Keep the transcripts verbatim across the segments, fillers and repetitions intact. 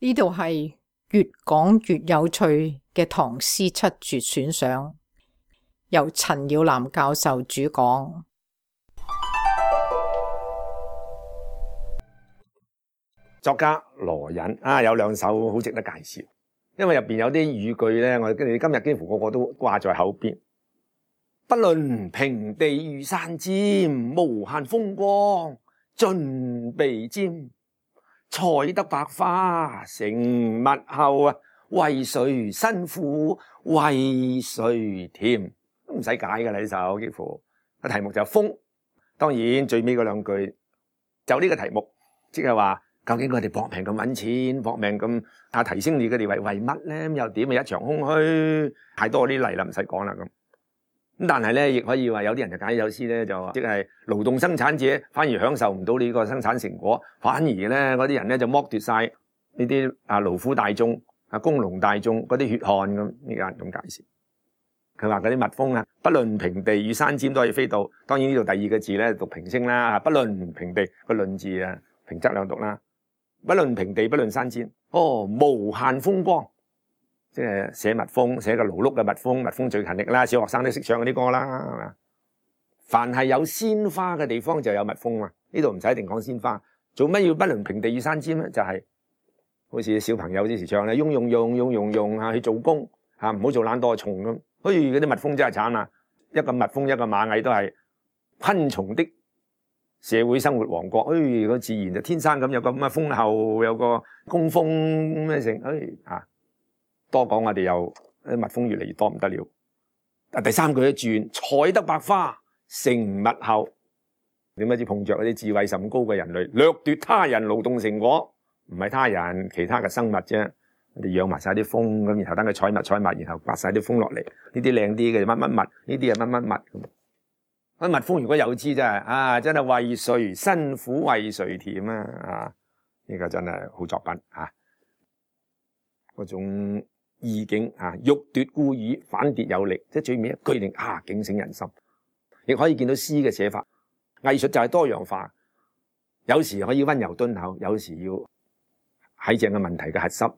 呢度係越講越有趣嘅唐詩七絕選賞，由陳耀南教授主講。作家羅隱啊，有兩首好值得介紹，因為入邊有啲語句咧，我哋今日幾乎個個都掛在口邊。不論平地遇山尖，無限風光盡被沾。採得百花成蜜後啊，為誰辛苦為誰甜？都唔使解㗎啦，呢首幾乎個題目就係風。當然最尾嗰兩句就呢個題目，即係話究竟佢哋搏命咁揾錢，搏命咁啊提升你嘅地位，為乜咧？又點啊？一場空虛，太多啲例啦，唔使講啦咁。咁但係咧，亦可以話有啲人就解呢首詩咧，就即係勞動生產者反而享受唔到呢個生產成果，反而咧嗰啲人咧就剝奪晒呢啲啊勞苦大眾啊工農大眾嗰啲血汗咁。呢個人咁解釋，佢話嗰啲蜜蜂啊，不論平地與山尖都可以飛到。當然呢度第二個字咧讀平聲啦，不論平地個論字啊平仄兩讀啦，不論平地不論山尖，哦無限風光。即係寫蜜蜂，寫個勞碌嘅蜜蜂，蜜蜂最勤力啦，小學生都識唱嗰啲歌啦，係嘛？凡係有鮮花嘅地方就有蜜蜂嘛。呢度唔使一定講鮮花，做乜要不論平地與山尖咧？就係、是、好似小朋友之時唱咧，用用用用用用嚇去做工嚇，唔好做懶惰蟲咁。好似嗰啲蜜蜂真係慘啊！一個蜜蜂一個螞蟻都係昆蟲的社會生活王國。誒，個自然就天生咁有個咁嘅蜂后，有個工蜂咩成誒嚇。多講我哋又啲蜜蜂越嚟越多唔得了。啊，第三句一轉，採得百花成蜜後，點解知碰着嗰啲智慧甚高嘅人類，掠奪他人勞動成果，唔係他人其他嘅生物啫。我哋養埋晒啲蜂咁，然後等佢採蜜採蜜，然後刮晒啲蜂落嚟。呢啲靚啲嘅乜乜蜜，呢啲係乜乜蜜咁。啲蜜蜂如果有知真係啊，真係為誰辛苦為誰甜啊！啊，呢個真係好作品啊！嗰種意境啊，欲奪故矣，反跌有力，即係最尾一句令啊警醒人心。亦可以見到詩嘅寫法，藝術就係多樣化，有時可以溫柔敦厚，有時要喺正嘅問題嘅核心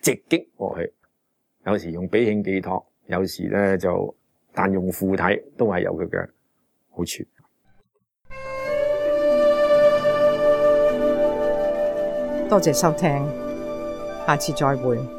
直擊過去，有時用比興寄託，有時咧就但用附體，都係有佢嘅好處。多謝收聽，下次再會。